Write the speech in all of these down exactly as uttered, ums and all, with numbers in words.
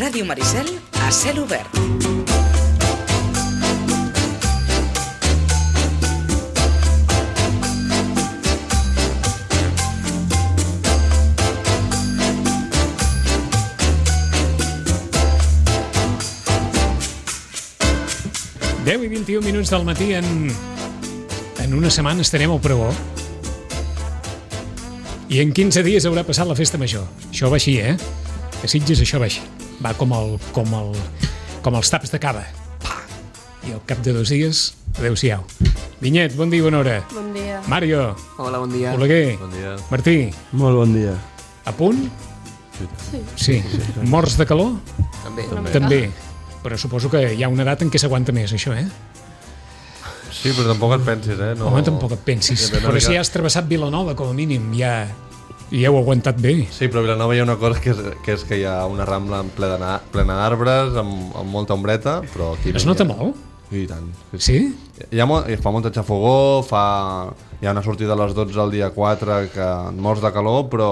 Ràdio Maricel a cel obert. deu i vint-i-un minuts del matí. En, en una setmana estarem al pregó. I en quinze dies haurà passat la festa major. Això va així, eh? A Sitges això va així. Va com, el, com, el, com els taps de cava. Pa! I al cap de dos dies, adeu-siau. Vinyet, bon dia, bona hora. Bon dia. Mario. Hola, bon dia. Oleguer. Bon dia. Martí. Molt bon dia. A punt? Sí. Sí. Morts de calor? També. També. També. Però suposo que hi ha una edat en què s'aguanta més, això, eh? Sí, però tampoc et pensis, eh? No... Home, tampoc et pensis. Depèn una Però si mica- has travessat Vilanova, com a mínim, ja, ja heu aguantat bé. Sí, però a Vilanova hi ha una cosa que és, que és que hi ha una rambla en plena, plena d'arbres, amb, amb molta ombreta, però aquí... Es no hi nota ha- molt? I tant. Sí? Hi ha molt, fa muntatge a fogó, fa, hi ha una sortida a les dotze al dia quatre que et mors de calor, però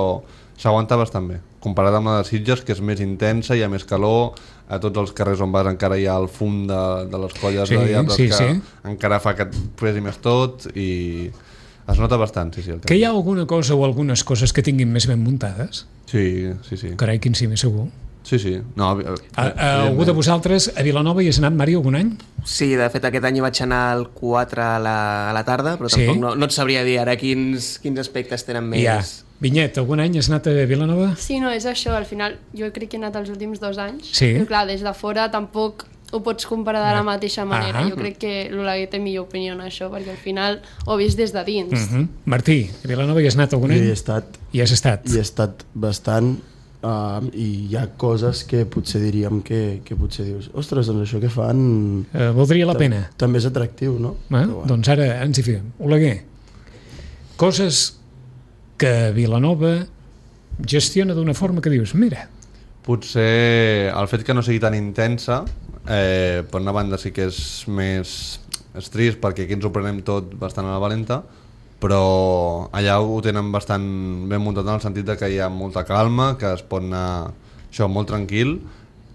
s'aguanta bastant bé. Comparat amb la de Sitges, que és més intensa, hi ha més calor, a tots els carrers on vas encara hi ha el fum de, de les colles Sí, de diables sí, que sí. encara fa que et pesi més tot i es nota bastant, sí, sí. El Que hi ha alguna cosa o algunes coses que tinguin més ben muntades? Sí, sí, sí. Carai, quin sí, més segur. Sí, sí. No, A, a, algú de vosaltres a Vilanova hi has anat, Mari, algun any? Sí, de fet aquest any hi vaig anar al quatre a la, a la tarda, però Sí? tampoc no, no et sabria dir ara quins, quins aspectes tenen més... Ja. Vinyet, algun any has anat a Vilanova? Sí, no, és això, al final jo crec que he anat els últims dos anys, Sí. però clar, des de fora tampoc ho pots comparar de la mateixa manera. Ahà. Jo crec que l'Oleguer té millor opinió en això, perquè al final ho he vist des de dins. Uh -huh. Martí, a Vilanova hi has anat algun Jo hi any? he estat, Hi has estat? hi he estat bastant uh, i hi ha coses que potser diríem que, que potser dius ostres, doncs això que fan Uh, valdria la pena? també és atractiu, no? Eh? Però bueno. Doncs ara ens hi fiem. Oleguer, coses que Vilanova gestiona d'una forma que dius, mira, Potser el fet que no sigui tan intensa, eh, per una banda sí que és més és trist perquè aquí ens ho prenem tot bastant a la valenta, però allà ho tenen bastant ben muntat en el sentit de que hi ha molta calma, que es pot anar això molt tranquil.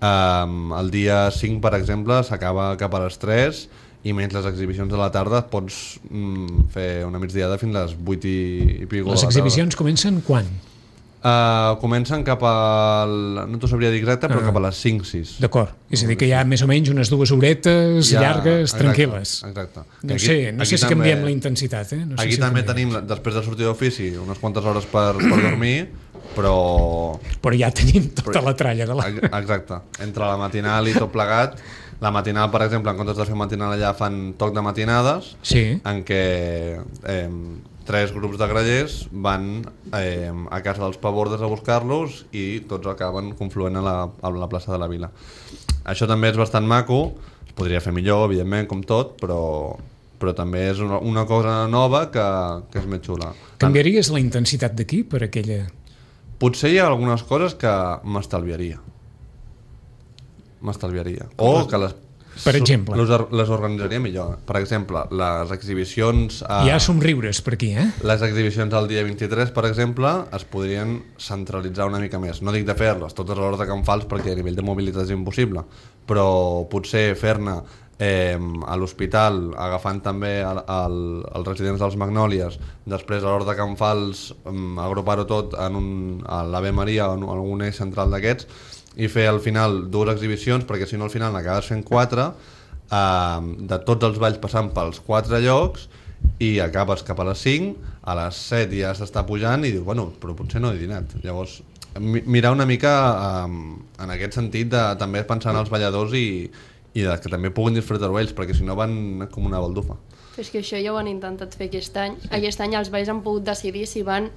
Um, el dia cinc, per exemple, s'acaba cap a les tres i menys les exhibicions de la tarda pots mm, fer una migdiada fins a les vuit i, i pico. les de la tarda. exhibicions comencen quan? Uh, comencen cap al... no t'ho sabria dir exacte, però Ah. cap a les cinc sis. D'acord, és a dir que hi ha més o menys unes dues horetes Ja, llargues, exacte, tranquil·les. Exacte. No Aquí- sé, no aquí sé si també- canviem la intensitat, eh? No sé Aquí si també canviem. tenim, després de sortir d'ofici, unes quantes hores per, per dormir, però... Però ja tenim tota la tralla de la... Ex- Exacte. Entre la matinal i tot plegat, la matinal, per exemple, en comptes de fer matinal allà fan toc de matinades, Sí, en què eh, tres grups de grallers van eh, a casa dels pavordes a buscar-los i tots acaben confluent a la, a la plaça de la Vila. Això també és bastant maco, es podria fer millor, evidentment, com tot, però, però també és una, una cosa nova que, que és més xula. canviaries la intensitat d'aquí per aquella... Potser hi ha algunes coses que m'estalviaria. M'estalviaria. O que les... Per exemple? Les, les organitzaria millor. Per exemple, les exhibicions... A... Hi ha somriures per aquí, eh? Les exhibicions al dia vint-i-tres, per exemple, es podrien centralitzar una mica més. No dic de fer-les totes a l'hora de Can Fals perquè a nivell de mobilitat és impossible, però potser fer-ne eh, a l'hospital, agafant també el, el, els residents dels Magnòlies, després a l'hora de Can Fals um, agrupar-ho tot en un, a l'Ave Maria o en algun eix central d'aquests i fer al final dues exhibicions, perquè si no al final n'acabes fent quatre, eh, de tots els balls passant pels quatre llocs i acabes cap a les cinc, a les set ja s'està pujant i dius, bueno, però potser no he dinat. Llavors, mi- mirar una mica um, en aquest sentit de també pensar en els balladors i, i de que també puguin disfrutar-ho ells, perquè si no van com una baldufa. Però és que això ja ho han intentat fer aquest any. Aquest any els balls han pogut decidir si van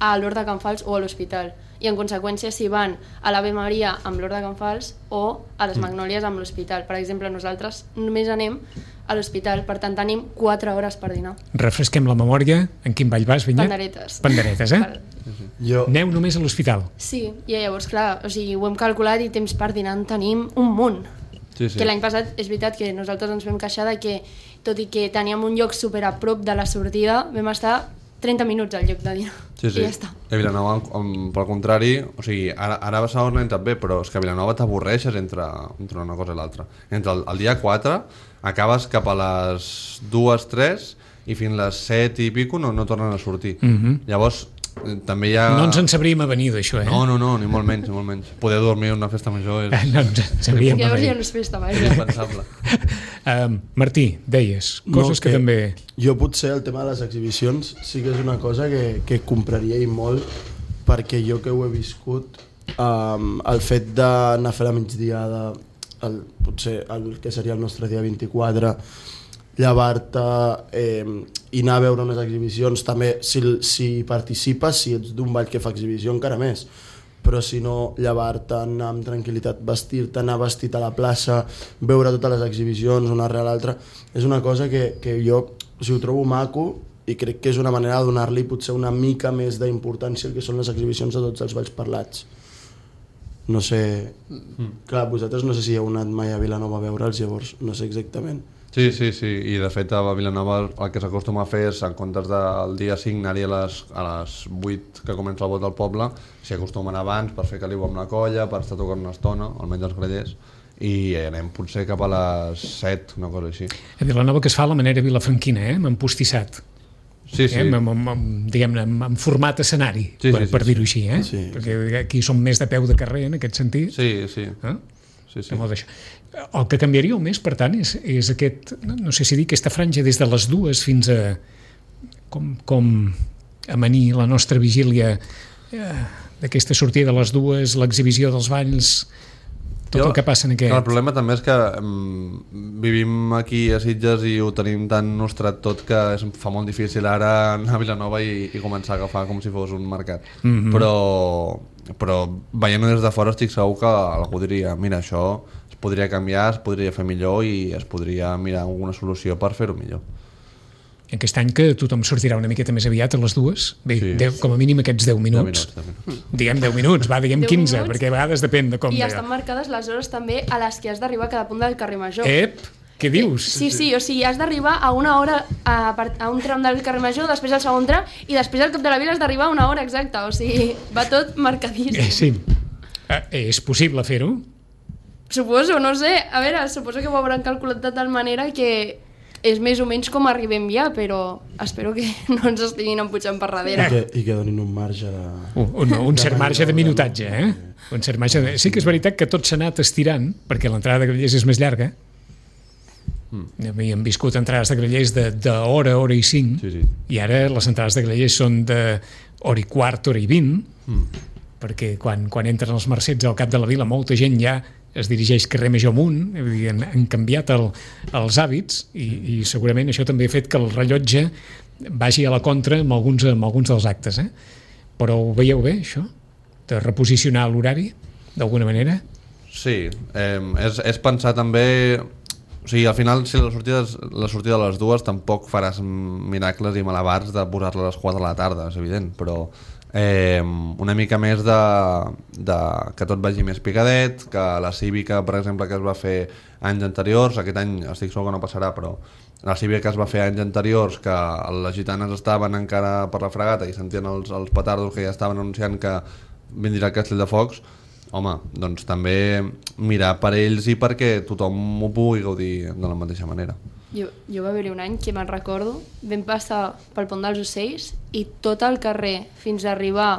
a l'Hort de Can Fals o a l'hospital. I en conseqüència si van a l'Ave Maria amb l'Hort de Can Fals o a les Magnòlies amb l'hospital. Per exemple, nosaltres només anem a l'hospital, per tant tenim quatre hores per dinar. Refresquem la memòria. En quin ball vas, Vinyet? Panderetes. Panderetes, eh? Val. Jo, Aneu només a l'hospital. Sí, i llavors, clar, o sigui, ho hem calculat i temps per dinar en tenim un munt. Sí, sí. Que l'any passat és veritat que nosaltres ens vam queixar de que, tot i que teníem un lloc super a prop de la sortida, vam estar trenta minuts al lloc de dinar. Sí, sí. I ja està. A Vilanova, um, pel contrari, o sigui, ara, ara a Barcelona entra bé, però és que a Vilanova t'avorreixes entre, entre una cosa i l'altra. Entre el, el dia quatre acabes cap a les dues, tres i fins les set i pico no, no tornen a sortir. Mhm. Llavors, eh, també hi ha... No ens en sabríem avenir d'això, eh? No, no, no, ni molt menys, ni molt menys. Poder dormir en una festa major és... No ens en sabríem Que llavors ja avenir. no és festa, és vaja. impensable. Um, Martí, deies, coses No, que, que també... Jo potser el tema de les exhibicions sí que és una cosa que, que compraria i molt, perquè jo que ho he viscut, um, el fet d'anar a fer la migdiada, el, potser el que seria el nostre dia vint-i-quatre, llevar-te eh, i anar a veure unes exhibicions, també si, si participes, si ets d'un ball que fa exhibició, encara més, però si no, llevar-te, anar amb tranquil·litat, vestir-te, anar vestit a la plaça, veure totes les exhibicions una rere l'altra, és una cosa que, que jo o sigui, ho trobo maco i crec que és una manera de donar-li potser una mica més d'importància al que són les exhibicions de tots els balls parlats. No sé... Mm. Clar, vosaltres no sé si heu anat mai a Vilanova a veure'ls, llavors no sé exactament. Sí, sí, sí, i de fet a Vilanova el que s'acostuma a fer és, en comptes del dia cinc anar-hi a les, a les vuit que comença el vot al poble, s'hi acostumen abans per fer caliu amb la colla, per estar tocant una estona, almenys els grellers, i anem potser cap a les set, una cosa així. A Vilanova que es fa a la manera vilafranquina, eh? Amb empostissat. Sí, sí. Eh? Amb, amb, amb, diguem-ne, amb, amb format escenari, Sí, per, sí, sí, per dir-ho sí. així, eh? Sí. Perquè aquí som més de peu de carrer en aquest sentit. Sí, sí. Eh? sí, sí. De molt d'això. El que canviaria més, per tant, és, és aquest, no, no sé si dir, aquesta franja des de les dues fins a com, com amanir la nostra vigília eh, d'aquesta sortida de les dues, l'exhibició dels balls, tot Jo, el que passa en aquest... El problema també és que um, vivim aquí a Sitges i ho tenim tan nostrat tot que es fa molt difícil ara anar a Vilanova i, i començar a agafar com si fos un mercat. Mhm. Però, però veient-ho des de fora estic segur que algú diria mira, això es podria canviar, es podria fer millor i es podria mirar alguna solució per fer-ho millor. Aquest any que tothom sortirà una miqueta més aviat a les dues, bé, Sí. deu, com a mínim aquests deu minuts. deu minuts, deu minuts. Diguem deu minuts, va, diguem deu quinze, minuts. perquè a vegades depèn de com... I de- estan marcades les hores també a les que has d'arribar a cada punt del carrer Major. Ep, què dius? Sí, sí, o sigui, has d'arribar a una hora a, part- a un tram del carrer Major, després al segon tram, i després al cap de la vila has d'arribar a una hora exacta, o sigui, va tot marcadíssim. Eh, sí. Eh, és possible fer-ho? Suposo, no sé, a veure, suposo que ho hauran calculat de tal manera que és més o menys com arribem ja, però espero que no ens estiguin empujant per I darrere. que, i que donin un marge de... Un, un, un cert marge de minutatge, eh? Un cert marge de... Sí que és veritat que tot s'ha anat estirant, perquè l'entrada de grellers és més llarga. Mm. Havíem viscut entrades de grellers d'hora, hora i cinc, Sí, sí. i ara les entrades de grellers són de hora i quart, hora i vint, Mm. perquè quan, quan entren els mercets al cap de la vila molta gent ja es dirigeix carrer Major amunt, vull dir, han, han canviat el, els hàbits i, i segurament això també ha fet que el rellotge vagi a la contra amb alguns, amb alguns dels actes, eh? Però ho veieu bé, això? De reposicionar l'horari, d'alguna manera? Sí, eh, és, és pensar també... O sigui, al final, si la sortida, és- la sortida de les dues tampoc faràs miracles i malabars de posar-la a les quatre de la tarda, és evident, però eh, una mica més de, de que tot vagi més picadet, que la cívica, per exemple, que es va fer anys anteriors, aquest any estic segur que no passarà, però la cívica que es va fer anys anteriors, que les gitanes estaven encara per la fregata i sentien els, els petardos que ja estaven anunciant que vindrà el castell de focs, home, doncs també mirar per ells i perquè tothom ho pugui gaudir de la mateixa manera. Jo, jo va haver-hi un any que me'n recordo, vam passar pel pont dels Ocells i tot el carrer fins a arribar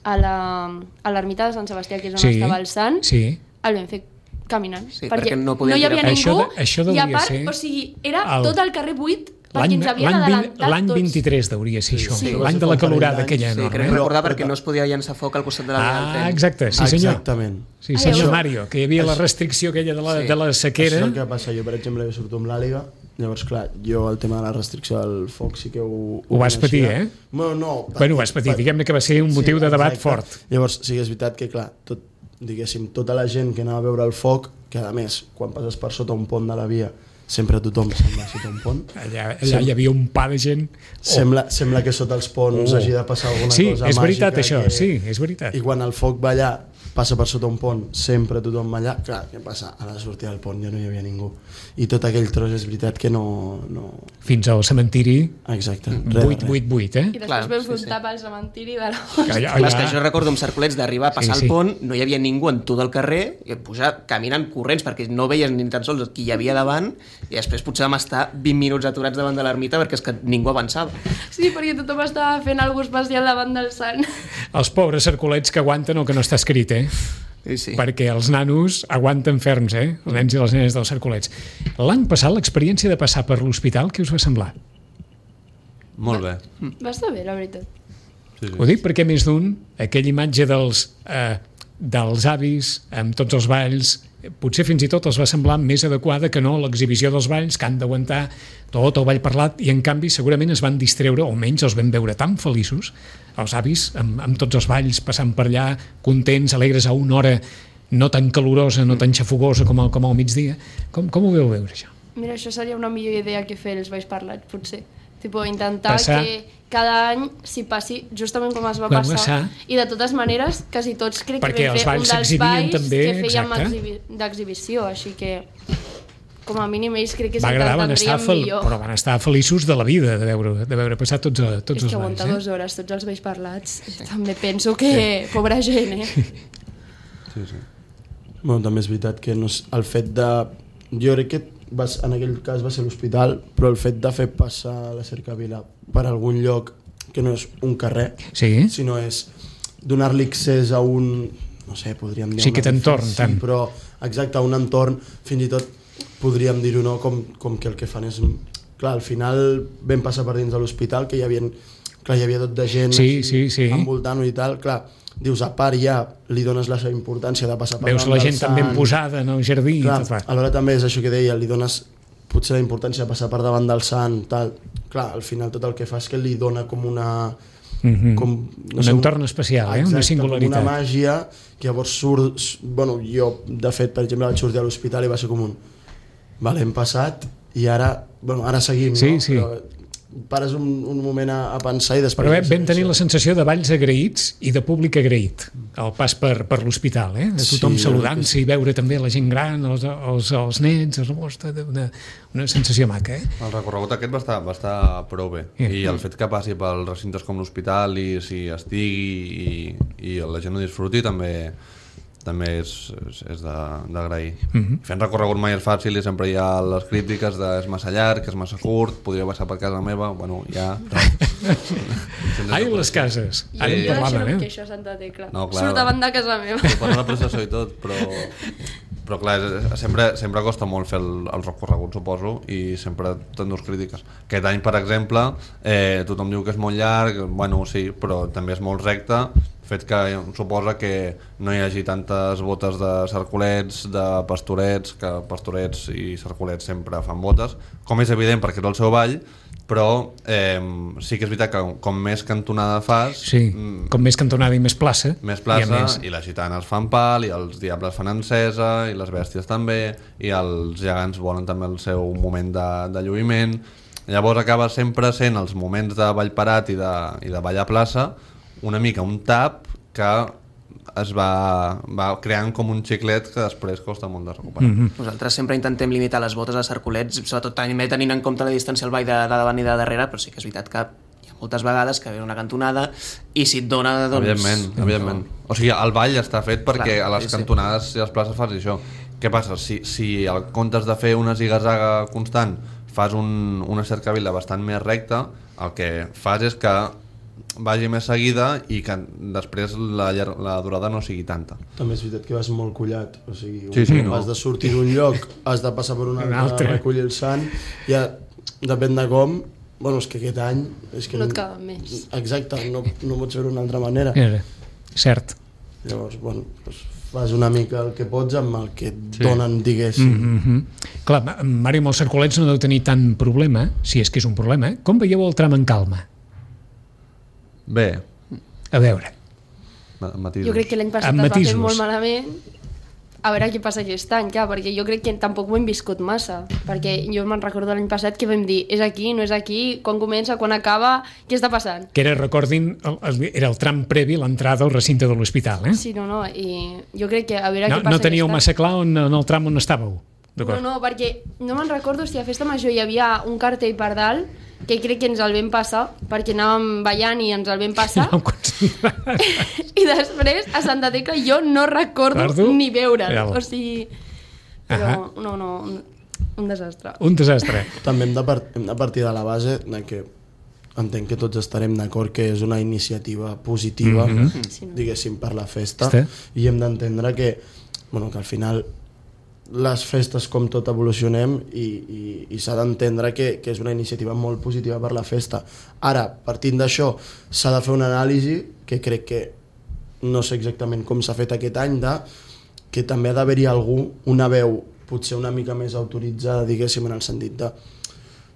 a la- a l'ermita de Sant Sebastià, que és on Sí, estava el sant, sí. el vam fer caminant. Sí, perquè no podien no hi havia tirar- ningú, Això de- això i devia a part, ser o sigui, era el- tot el carrer buit perquè L'any ens havien l'any vint- adelantat l'any tots. vint-i-tres hauria de ser això, Sí. l'any de la calorada aquella Sí, enorme. crec eh? recordar perquè no es podia llançar foc al costat de la via del Ah, tren. exacte, sí senyor. Exactament. Sí Ai, senyor això- Mario, que hi havia la restricció aquella de la, Sí. de la Això sequera. és el que passa. Jo, per exemple, que surto amb l'Àliga, llavors, clar, jo el tema de la restricció del foc sí que ho... Ho vas patir, coneixia. eh? Bueno, no. Bueno, ho vas patir, diguem-ne que va ser un motiu de debat fort. Llavors, sí que és veritat que, clar, tot, diguéssim, tota la gent que anava a veure el foc, que a més, quan passes per sota un pont de la via, sempre tothom se'n va sota un pont. Allà, allà hi havia un pa de gent. Sembla, sembla que sota els ponts Oh. hagi de passar alguna Sí, cosa és màgica. veritat això, que... sí, és veritat. I quan el foc va allà, passa per sota un pont, sempre tothom allà. Clar, què passa? A la sortida del pont ja no hi havia ningú. I tot aquell tros és veritat que no... no... Fins al cementiri, Exacte. vuit vuit vuit, eh? I després Clar, vam sí, fer un sí. tap al cementiri de la... Allà, Clar, és que allà, jo recordo amb Cercolets d'arribar a passar Sí, sí. el pont, no hi havia ningú en tot el carrer, i pujar caminant corrents perquè no veies ni tan sols qui hi havia davant, i després potser vam estar vint minuts aturats davant de l'ermita perquè és que ningú avançava. Sí, perquè tothom estava fent alguna cosa especial davant del sant. els pobres cercolets que aguanten el que no està escrit, eh? Sí, sí. Perquè els nanos aguanten ferms, eh? Els nens i les nenes dels cercolets. L'any passat, l'experiència de passar per l'hospital, què us va semblar? Molt bé. Va estar bé, la veritat. Sí, sí. Ho dic perquè més d'un, aquella imatge dels, eh, dels avis amb tots els balls, potser fins i tot els va semblar més adequada que no l'exhibició dels balls, que han d'aguantar tot el ball parlat, i en canvi segurament es van distreure, o almenys els vam veure tan feliços, els avis, amb, amb tots els balls, passant per allà, contents, alegres a una hora no tan calorosa, no tan xafogosa com, el, com al migdia. Com, com ho veu veure, això? Mira, això seria una millor idea que fer els balls parlats, potser. Tipo, intentar Passar. que cada any s'hi passi justament com es va Va passar. passar. I de totes maneres, quasi tots crec Perquè que vam els fer un balls dels s'exhibien balls també, que fèiem exacte. exhibi d'exhibició, així que com a mínim ells crec que Va agradar, van estar, s'entendrien fel... millor. però van estar feliços de la vida de veure, de veure passar tots, tots És els que balls. aguantar Eh? dues hores tots els vells parlats, també penso que pobra gent, eh? Sí, sí. Bueno, també és veritat que no és, el fet de... Jo crec que va, en aquell cas va ser l'hospital, però el fet de fer passar la cercavila per algun lloc que no és un carrer, Sí? sinó és donar-li accés a un... no sé, podríem dir... Sí, un aquest entorn, edifici, tant. Però, exacte, un entorn, fins i tot podríem dir-ho, no? Com, com que el que fan és... Clar, al final vam passar per dins de l'hospital, que hi havia, clar, hi havia tot de gent Sí, així, sí, sí. envoltant-ho i tal, clar, dius, a part ja li dones la seva importància de passar per Veus davant la del gent tan ben sant. posada en el jardí. Clar, i tot, va. alhora també és això que deia, li dones potser la importància de passar per davant del sant, tal. Clar, al final tot el que fa és que li dona com una... Mhm. com, Un entorn especial, eh? Una singularitat. Com una màgia, que llavors surt... Bueno, jo, de fet, per exemple, vaig sortir a l'hospital i va ser com un... Vale, hem passat i ara... Bueno, ara seguim, Sí, no? sí. Però pares un, un moment a, a pensar i després... Però bé, vam tenir la sensació de balls agraïts i de públic agraït al pas per, per l'hospital, eh? De tothom Sí, saludant-se i veure també la gent gran, els, els, els nens, els, ostres, una, una sensació maca, eh? El recorregut aquest va estar, va estar prou bé. Sí. I el fet que passi pels recintes com l'hospital i si estigui i, i la gent ho disfruti també també és, és, és d'agrair. Mhm. Fent recorregut mai és fàcil i sempre hi ha les crítiques de és massa llarg, és massa curt, podria passar per casa meva, bueno, ja... Ai, les cases. Jo, Ara en jo deixo parlàvem, que eh? això a Santa Tecla. No, clar. Surt davant de casa meva. Suposa la processó i tot, però... Però clar, és- sempre, sempre costa molt fer el, el recorregut, suposo, i sempre t'endús crítiques. Aquest any, per exemple, eh, tothom diu que és molt llarg, bueno, sí, però també és molt recte, fet que suposa que no hi hagi tantes botes de cercolets, de pastorets, que pastorets i cercolets sempre fan botes, com és evident perquè és el seu ball, però eh, sí que és veritat que com més cantonada fas, Sí, mm, com més cantonada i més plaça. més i a plaça, més- i les gitanes fan pal, i els diables fan encesa, i les bèsties també, i els gegants volen també el seu moment de, de lluïment. Llavors acaba sempre sent els moments de ball parat i de, i de ball a plaça una mica un tap que es va, va creant com un xiclet que després costa molt de recuperar. Mhm. Nosaltres sempre intentem limitar les botes a cercolets, sobretot també tenint en compte la distància al ball de, de davant i de darrere, però sí que és veritat que hi ha moltes vegades que ve una cantonada i si et dona, doncs... Evidentment, evidentment. O sigui, el ball està fet perquè Clar, a les sí, sí. cantonades i a les places fas això. Què passa? Si, si en comptes de fer una ziga-zaga constant fas un, una cercavila bastant més recta, el que fas és que vagi més seguida i que després la, llar- la durada no sigui tanta. També és veritat que vas molt collat, o sigui, Sí, sí, has no. de sortir d'un lloc, has de passar per un Un altre, altre. recollir el sant, ja depèn de com, bueno, és que aquest any... És que No et caben més. Exacte, no, no pots fer-ho d'una altra manera. Era, cert. Llavors, bueno, doncs fas una mica el que pots amb el que et Sí. donen, diguéssim. Mm -hmm. Clar, Màriu, amb els cercolets no deu tenir tant problema, si és que és un problema. Com veieu el tram en calma? Bé, A veure, ma- matisos. Jo crec que l'any passat Amb es va fer matisos. molt malament a veure què passa aquest any, clar, perquè jo crec que tampoc ho hem viscut massa, perquè jo me'n recordo l'any passat que vam dir, és aquí, no és aquí, quan comença, quan acaba, què està passant? Que era, recordin, el, el, era el tram previ a l'entrada al recinte de l'hospital, eh? Sí, no, no, i jo crec que a veure no, què passa no teníeu aquest any. massa clar on, en el tram on estàveu? No, no, perquè no me'n recordo si a Festa Major hi havia un cartell per dalt que crec que ens el vam passar perquè anàvem ballant i ens el vam passar No, i després a Santa Tecla jo no recordo Recordo? ni veure'l, Real. o sigui però Ahà. no, no, un, un desastre. Un desastre. També hem de, part hem de partir de la base de que entenc que tots estarem d'acord que és una iniciativa positiva, Mhm. mm-hmm. Sí, no. diguéssim, per la festa, Està. i hem d'entendre que, bueno, que al final les festes com tot evolucionem i, i, i s'ha d'entendre que, que és una iniciativa molt positiva per la festa. Ara, partint d'això, s'ha de fer una anàlisi que crec que no sé exactament com s'ha fet aquest any, de, que també ha d'haver-hi algú, una veu potser una mica més autoritzada, diguéssim, en el sentit de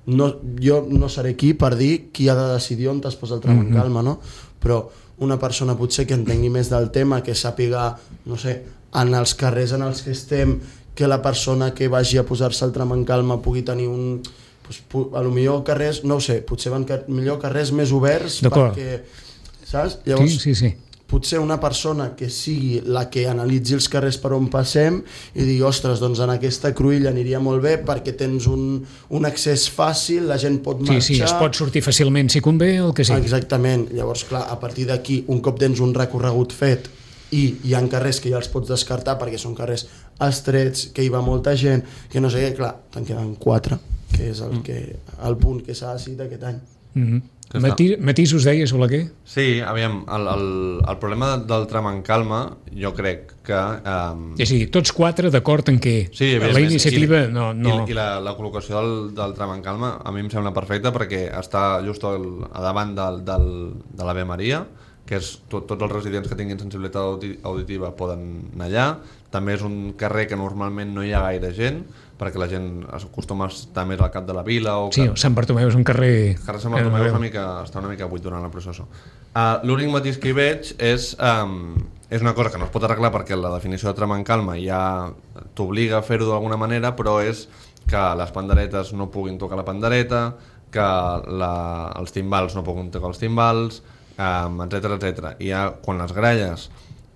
no, jo no seré aquí per dir qui ha de decidir on es posa el tram en calma, no? Però una persona potser que entengui més del tema, que sàpiga, no sé, en els carrers en els que estem, que la persona que vagi a posar-se el tram en calma pugui tenir un... Pues, a lo millor carrers, no ho sé, potser van car millor carrers més oberts perquè... Saps? Llavors, Sí, sí, sí. potser una persona que sigui la que analitzi els carrers per on passem i digui, ostres, doncs en aquesta cruïlla aniria molt bé perquè tens un, un accés fàcil, la gent pot marxar... Sí, sí, es pot sortir fàcilment si convé, el que sigui. Exactament. Llavors, clar, a partir d'aquí, un cop tens un recorregut fet i hi ha carrers que ja els pots descartar perquè són carrers estrets, que hi va molta gent, que no sé què, clar, te'n queden quatre, que és el, que, el punt que s'ha decidit aquest any. Mm Que -hmm. Matí, matisos deies, Oleguer? Sí, aviam, el, el, el problema del tram en calma, jo crec que... Um, És a dir, tots quatre d'acord en què Sí, la evidentment, iniciativa i, no... no... I, i la, la col·locació del, del tram en calma a mi em sembla perfecta perquè està just al, a davant del, del, de l'Ave Maria, que és tot, tots els residents que tinguin sensibilitat audi auditiva poden anar allà. També és un carrer que normalment no hi ha gaire gent, perquè la gent acostuma a estar més al cap de la vila. O Sí, que... Sant Bartomeu és un carrer... El carrer Sant Bartomeu és una mica, està una mica buit durant la processó. Uh, L'únic matís que hi veig és, um, és una cosa que no es pot arreglar perquè la definició de tram en calma ja t'obliga a fer-ho d'alguna manera, però és que les panderetes no puguin tocar la pandereta, que la, els timbals no puguin tocar els timbals, um, etcètera etcètera. I ja, quan les gralles...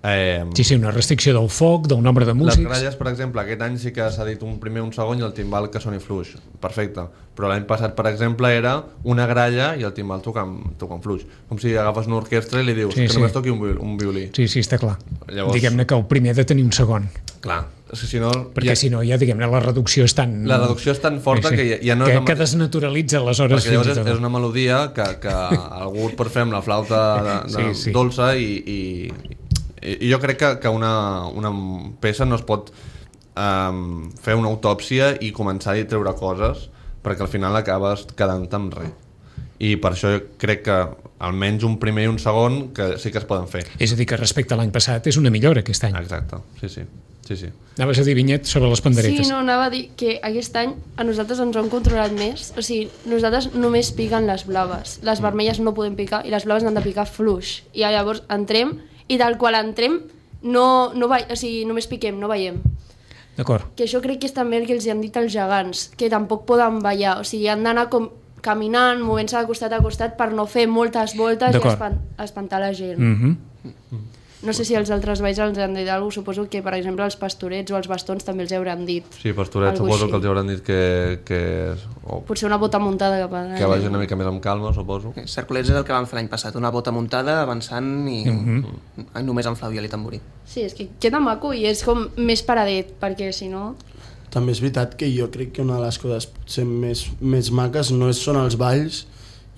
Eh, Sí, sí, una restricció del foc, del nombre de músics... les gralles, per exemple, aquest any sí que s'ha dit un primer, un segon i el timbal que soni fluix. Perfecte. Però l'any passat, per exemple, era una gralla i el timbal tocant, tocant fluix. Com si agafes una orquestra i li dius Sí, que sí. només toqui un, viol, un violí. Sí, sí, està clar. Llavors- Diguem-ne que el primer ha de tenir un segon, Clar. Si no, perquè ja, si no ja, diguem-ne, la reducció és tan... la reducció és tan forta Sí, sí. que ja, ja no que, és... la que mateixa- desnaturalitza aleshores perquè llavors fins i és, tot. és una melodia que, que algú et pot fer amb la flauta de, de, Sí, sí. dolça i, i, i jo crec que, que una, una peça no es pot um, fer una autòpsia i començar a treure coses perquè al final acabes quedant amb res. I per això jo crec que almenys un primer i un segon que sí que es poden fer. És a dir, que respecte a l'any passat és una millora aquest any. Exacte, sí, sí. sí, sí. Anaves a dir, Vinyet, sobre les panderetes. Sí, no, anava a dir que aquest any a nosaltres ens ho han controlat més. O sigui, nosaltres només piquen les blaves. Les vermelles no poden picar i les blaves han de picar fluix. I llavors entrem i tal qual entrem no, no va, o sigui, només piquem, no veiem. D'acord. Que això crec que és també el que els han dit els gegants, que tampoc poden ballar. O sigui, han d'anar com caminant, movent-se de costat a costat per no fer moltes voltes i D'acord. espan espantar la gent. Mm -hmm. No sé si els altres balls els han dit alguna cosa, suposo que, per exemple, els pastorets o els bastons també els hauran dit. Sí, Pastoret Algú suposo així. que els hauran dit que, que, o, Potser una bota muntada cap a... que vagi una mica més amb calma, suposo. Cerculets és el que vam fer l'any passat, una bota muntada, avançant i Mhm. només amb flabiol i tamborí. Sí, és que queda maco i és com més paradet, perquè si no... També és veritat que jo crec que una de les coses potser més, més maques no és, són els balls.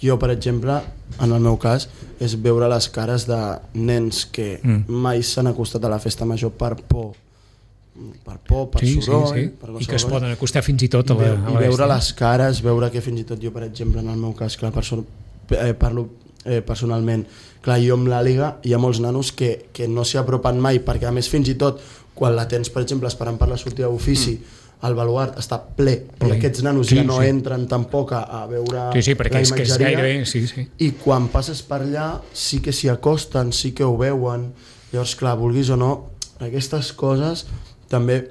Jo, per exemple, en el meu cas, és veure les cares de nens que Mm. mai s'han acostat a la festa major per por, per por, per Sí, sí, soroll, sí. per I que es qualsevol cosa. poden acostar fins i tot a la, I, a veu, la i veure bèstia. les cares, veure que fins i tot jo, per exemple, en el meu cas, clar, perso eh, parlo eh, personalment, clar, jo amb l'Àliga hi ha molts nanos que, que no s'hi apropen mai, perquè a més fins i tot quan la tens, per exemple, esperant per la sortida d'ofici, mm. el baluart està ple, Ple. i aquests nanos Sí, ja no sí. entren tampoc a, a veure Sí, sí, perquè la és que és imatgeria, gairebé... Sí, sí. i quan passes per allà sí que s'hi acosten, sí que ho veuen. Llavors, clar, vulguis o no, aquestes coses també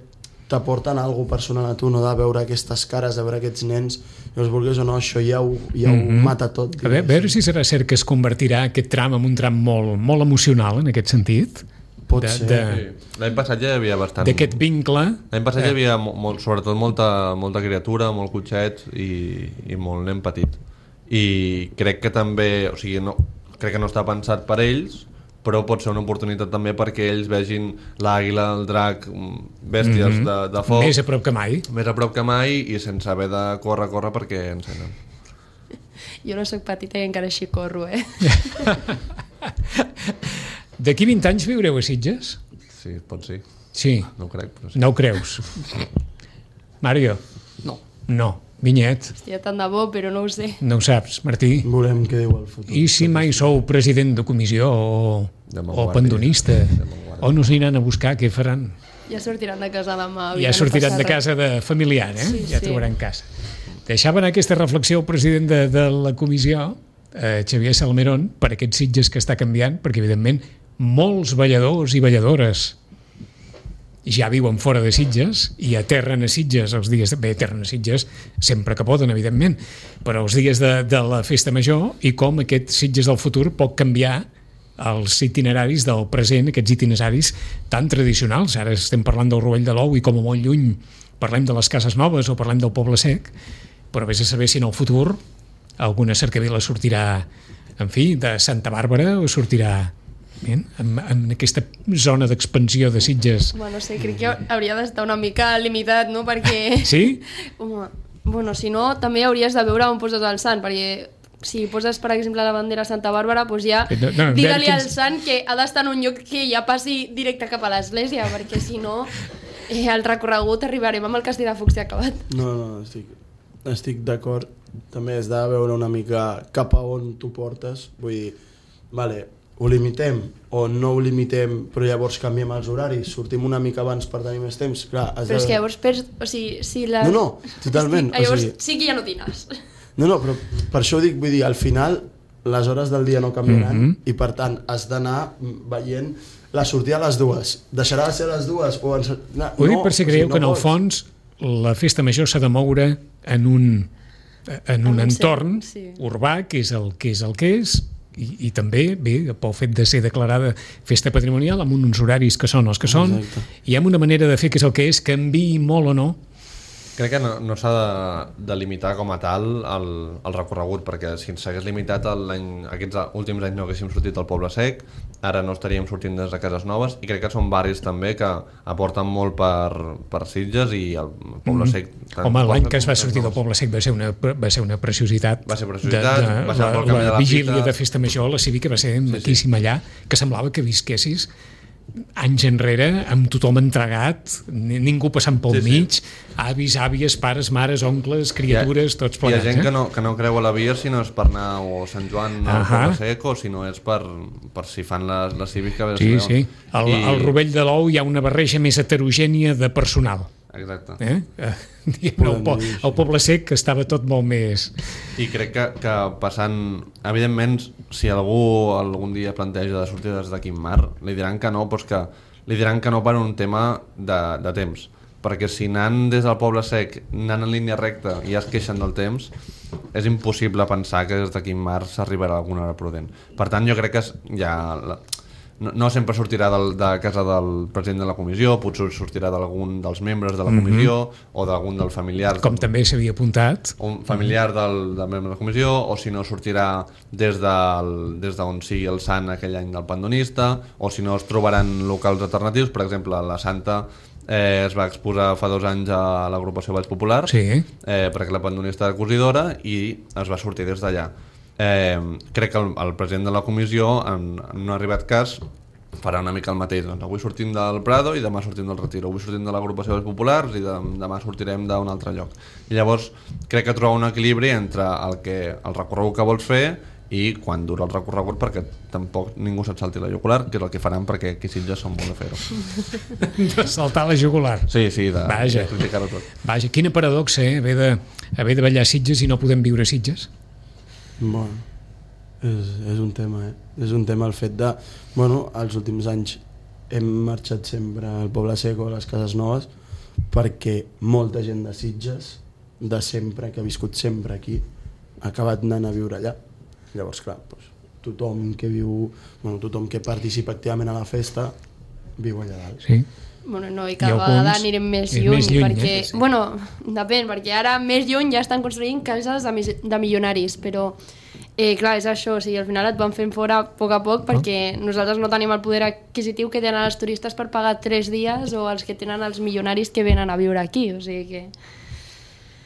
t'aporten alguna cosa personal a tu, no de veure aquestes cares, de veure aquests nens, llavors vulguis o no, això ja ho, ja ho mm-hmm. mata tot. A veure, a veure si serà cert que es convertirà aquest tram en un tram molt, molt emocional en aquest sentit. Pot de, ser. De, Sí. L'any passat ja hi havia bastant... d'aquest vincle. L'any passat eh. hi havia mo- molt, sobretot molta, molta criatura, molt cotxet i, i molt nen petit. I crec que també, o sigui, no, crec que no està pensat per ells, però pot ser una oportunitat també perquè ells vegin l'àguila, el drac, bèsties mm-hmm. de, de foc... Més a prop que mai. Més a prop que mai i sense haver de córrer, córrer perquè encenen. Jo no sóc petita i encara així corro, eh? D'aquí vint anys viureu a Sitges? Sí, pot ser. Sí. No ho crec, però sí. No ho creus? Mario? No. No. Vinyet? Hòstia, tant de bo, però no ho sé. No ho saps, Martí? Volem què diu el futur. I si mai sou president de comissió o, o pendonista? O no s'aniran a buscar, què faran? Ja sortiran de casa demà. Ja sortiran de casa de familiar, eh? Sí, ja sí. trobaran casa. Deixava anar aquesta reflexió el president de, de la comissió, eh, Xavier Salmerón, per aquests Sitges que està canviant, perquè evidentment molts balladors i balladores ja viuen fora de Sitges i aterren a Sitges els dies... Bé, aterren a Sitges sempre que poden, evidentment, però els dies de, de la festa major i com aquest Sitges del futur pot canviar els itineraris del present, aquests itineraris tan tradicionals. Ara estem parlant del Rovell de l'Ou i com a molt lluny parlem de les Cases Noves o parlem del Poble Sec, però vés a saber si en el futur alguna cercavila sortirà, en fi, de Santa Bàrbara o sortirà en, en aquesta zona d'expansió de Sitges. Bueno, no sé, crec que hauria d'estar una mica limitat, no? Perquè... Sí? Home, bueno, si no, també hauries de veure on poses el sant, perquè si poses, per exemple, la bandera Santa Bàrbara, doncs ja No, no, digue-li que- al sant que ha d'estar en un lloc que ja passi directe cap a l'església, perquè si no, eh, al recorregut arribarem amb el castell de focs ja acabat. No, no, estic, estic d'acord. També has de veure una mica cap a on tu portes. Vull dir, vale, ho limitem o no ho limitem, però llavors canviem els horaris, sortim una mica abans per tenir més temps. Clar, has Però és de... que llavors perds... O sigui, si la... No, no, totalment, Estic, llavors o sigui- sí que ja no tines. No, no, però per això ho dic, vull dir, al final les hores del dia no canviaran Mhm. i per tant has d'anar veient la sortida a les dues. Deixarà de ser a les dues o... En... No, Ho dic per si o creieu sigui, que en el pots. fons la festa major s'ha de moure en un, en un En un entorn centre, sí. urbà que és el que és, el que és i, i també, bé, pel fet de ser declarada festa patrimonial amb uns horaris que són els que són Exacte. i amb una manera de fer que és el que és, canviï molt o no. Crec que no, no s'ha de, de limitar com a tal el, el recorregut, perquè si ens s'hagués limitat l'any, aquests últims anys no haguéssim sortit al Poble Sec, ara no estaríem sortint des de Cases Noves, i crec que són barris també que aporten molt per, per Sitges i el Poble Sec... tant Home, l'any Poble que es va com sortir del Noves. Poble Sec va ser una, va ser una preciositat. Va ser preciositat, de, de, va ser la, pel camí de la la vigília fita. de festa major, la cívica va ser maquíssima allà, que semblava que visquessis anys enrere, amb tothom entregat, ni- ningú passant pel Sí, sí. mig, avis, àvies, pares, mares, oncles, criatures, tots Hi plegats. ha gent eh? que no, que no creu a la via si no és per anar o a Sant Joan o al Ahà. Poble Sec o si no és per, per si fan la, la cívica. Sí, sí. Al, I... al Rovell de l'Ou hi ha una barreja més heterogènia de personal. Exacte. Eh? Eh, diguem, el, po el Poble Sec que estava tot molt més... I crec que, que passant... Evidentment, si algú algun dia planteja de sortir des de Quim Mar, li diran que no, doncs que li diran que no per un tema de, de temps. Perquè si anant des del Poble Sec, anant en línia recta i ja es queixen del temps, és impossible pensar que des de Quim Mar s'arribarà a alguna hora prudent. Per tant, jo crec que és, ja... La, no, no sempre sortirà del, de casa del president de la comissió, potser sortirà d'algun dels membres de la comissió mm-hmm. o d'algun dels familiars. Com també s'havia apuntat. Un familiar del, del membre de la comissió, o si no sortirà des d'on des de sigui el sant aquell any del pandonista, o si no es trobaran locals alternatius. Per exemple, la Santa eh, es va exposar fa dos anys a l'agrupació Valls Popular, Sí. eh, perquè la pandonista era cosidora, i es va sortir des d'allà. Eh, crec que el, el president de la comissió, en, en un arribat cas, farà una mica el mateix. Doncs avui sortim del Prado i demà sortim del Retiro, avui sortim de l'agrupació dels populars i de, demà sortirem d'un altre lloc. I llavors crec que trobar un equilibri entre el, que, el recorregut que vols fer i quan dura el recorregut, perquè tampoc ningú se't salti la jugular, que és el que faran perquè aquí Sitges són bons a fer-ho. De saltar la jugular. Sí, sí, de, Vaja. de criticar-ho tot. Vaja, quina paradoxa, eh? Haver de, haver de ballar a Sitges i no podem viure a Sitges. Bueno, és, és un tema, eh? És un tema el fet de... Bueno, els últims anys hem marxat sempre al Poble Seco, a les Cases Noves, perquè molta gent de Sitges, de sempre, que ha viscut sempre aquí, ha acabat anant a viure allà. Llavors, clar, doncs, tothom que viu, bueno, tothom que participa activament a la festa viu allà dalt. Sí. Bueno, no, i cada I vegada alguns anirem més és lluny, més lluny, perquè, eh? sí. bueno, depèn, perquè ara més lluny ja estan construint cases de, mis- de milionaris, però eh, clar, és això, o sigui, al final et van fent fora a poc a poc perquè nosaltres no tenim el poder adquisitiu que tenen els turistes per pagar tres dies o els que tenen els milionaris que venen a viure aquí, o sigui que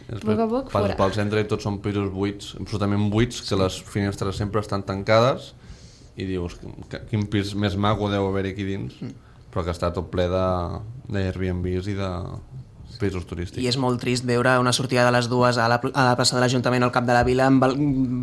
a poc a poc Passes fora. pel centre i tots són pisos buits, absolutament buits, que les finestres sempre estan tancades i dius, que- quin pis més maco deu haver aquí dins, però que està tot ple de d'Airbnbs i de pisos turístics. I és molt trist veure una sortida de les dues a la, a la plaça de l'Ajuntament al cap de la vila amb bal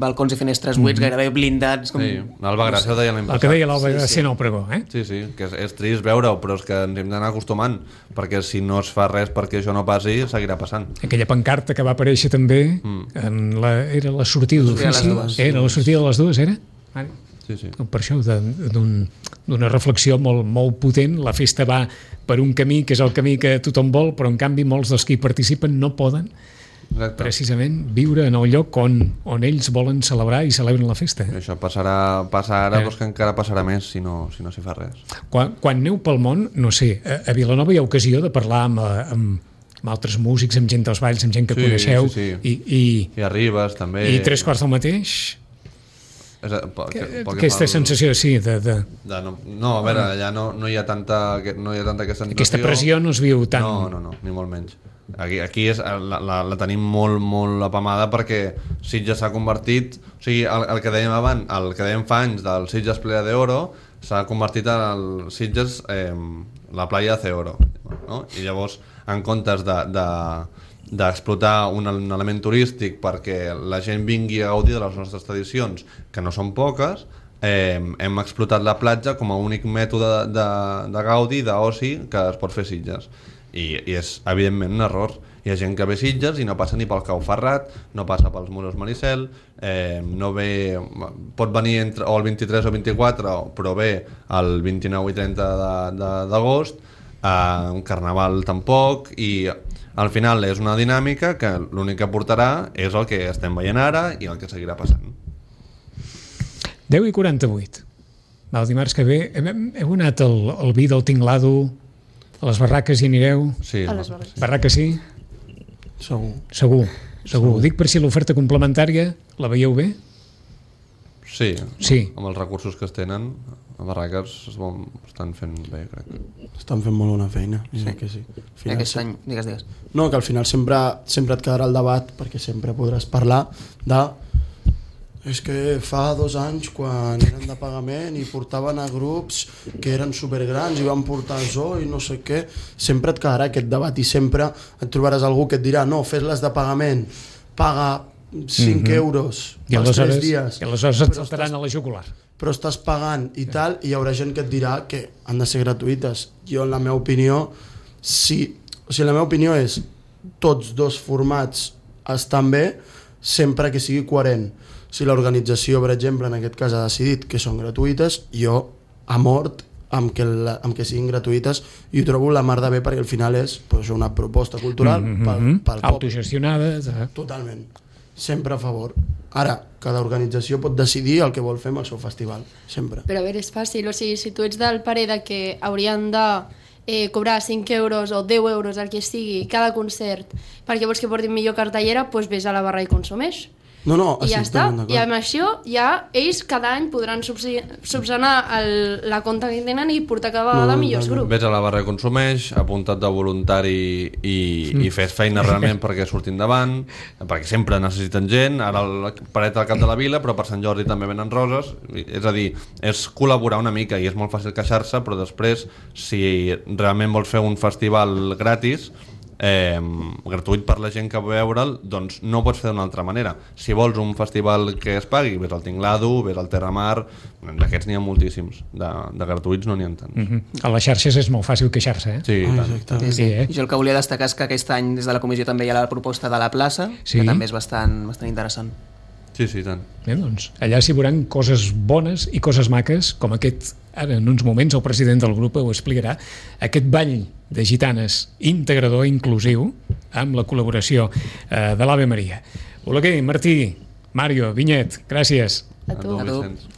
balcons i finestres buits, mm -hmm. gairebé blindats. Com... Sí, l'Alba Gràcia ho deia l'any El passat. que deia l'Alba Sí, sí. Gràcia en el pregó, eh? Sí, sí, que és, és trist veure-ho, però és que ens hem d'anar acostumant, perquè si no es fa res perquè això no passi, seguirà passant. Aquella pancarta que va aparèixer també, Mm. en la, era la sortida sortida de d'ofici, les dues. era la sortida de les dues, era? Vale. Sí, sí. Per això, de- d'un- d'una reflexió molt, molt potent, la festa va per un camí que és el camí que tothom vol, però en canvi molts dels que hi participen no poden Exacte. precisament viure en el lloc on, on ells volen celebrar i celebren la festa. I això passarà, passa ara, Eh. però és que encara passarà més si no si no s'hi fa res. Quan, quan aneu pel món, no sé, a, a Vilanova hi ha ocasió de parlar amb, eh, amb, amb altres músics, amb gent dels balls, amb gent que Sí, coneixeu, sí, sí. I, i, I arribes també... i tres quarts del mateix, És, a- pel que- pel que aquesta fa al- sensació, sí, de, de, De no, no, a veure, allà no, no hi ha tanta no hi ha tanta aquesta sensació. aquesta pressió no es viu tant. No, no, no, ni molt menys. Aquí, aquí és, la, la, la tenim molt, molt apamada perquè Sitges s'ha convertit... O sigui, el, el que dèiem abans, el que dèiem fa anys del Sitges Playa de Oro s'ha convertit en el Sitges eh, la playa de Oro, no? I llavors, en comptes de... de d'explotar un, un element turístic perquè la gent vingui a gaudir de les nostres tradicions, que no són poques, eh, hem explotat la platja com a únic mètode de, de gaudi, d'oci que es pot fer a Sitges. I, i és evidentment un error. Hi ha gent que ve a Sitges i no passa ni pel Cau Ferrat, no passa pels Muros Maricel, eh, no ve, pot venir entre, o el vint-i-tres o vint-i-quatre, però ve el vint-i-nou i trenta d'agost, eh, un carnaval tampoc, i al final és una dinàmica que l'únic que portarà és el que estem veient ara i el que seguirà passant. deu i quaranta-vuit. El dimarts que ve hem, heu anat al, al vi del Tinglado, a les barraques hi anireu? Sí, A les barraques. Barraques sí? Segur. Segur, segur. Ho dic per si l'oferta complementària la veieu bé? sí, Sí. amb els recursos que es tenen, a Barraques es vol, estan fent bé, crec. Estan fent molt bona feina, sí. que sí. Al final, Aquest any, digues, digues. No, que al final sempre, sempre et quedarà el debat, perquè sempre podràs parlar de és que fa dos anys quan eren de pagament i portaven a grups que eren supergrans i van portar zoo i no sé què, sempre et quedarà aquest debat i sempre et trobaràs algú que et dirà no, fes-les de pagament, paga cinc Mhm. euros I pels tres aleshores, dies, i aleshores et però saltaran estàs- a la jugular. però estàs pagant i tal, i hi haurà gent que et dirà que han de ser gratuïtes. Jo, en la meva opinió, sí, o sigui, la meva opinió és tots dos formats estan bé sempre que sigui coherent. Si l'organització, per exemple, en aquest cas ha decidit que són gratuïtes, jo, a mort, amb que, la, amb que siguin gratuïtes, i ho trobo la mar de bé perquè al final és pues, una proposta cultural Mm pel, -hmm. pel poble. Autogestionades. Eh? Totalment. Sempre a favor. Ara, cada organització pot decidir el que vol fer amb el seu festival. Sempre. Però a veure, és fàcil, o sigui, si tu ets del parer de que haurien de eh, cobrar cinc euros o deu euros, el que sigui, cada concert, perquè vols que portin millor cartellera, doncs vés a la barra i consumeix. No, no, I ja estic està. totalment d'acord. I amb això ja ells cada any podran subsi- subsanar el, la compta que tenen i portar cada vegada No, millors no, no. grups. Vés a la barra i consumeix, apunta't de voluntari i, i fes feina realment perquè surtin davant, perquè sempre necessiten gent, ara la paret al cap de la vila, però per Sant Jordi també venen roses, és a dir, és col·laborar una mica i és molt fàcil queixar-se, però després, si realment vols fer un festival gratis, eh, gratuït per la gent que va veure'l, doncs no ho pots fer d'una altra manera. Si vols un festival que es pagui, ves al Tinglado, ves al Terramar, d'aquests n'hi ha moltíssims, de, de gratuïts no n'hi ha tants. Mm -hmm. A les xarxes és molt fàcil queixar-se, eh? Sí, Ah, tant. exacte. Sí, eh? Jo el que volia destacar és que aquest any des de la comissió també hi ha la proposta de la plaça, Sí. que també és bastant, bastant interessant. Sí, sí, tant. Eh, doncs, allà s'hi veuran coses bones i coses maques, com aquest, ara en uns moments el president del grup ho explicarà, aquest ball de gitanes integrador, inclusiu, amb la col·laboració eh, de l'Ave Maria. Oleguer, Martí, Mario, Vinyet, gràcies. A tu. A tu, Vicenç.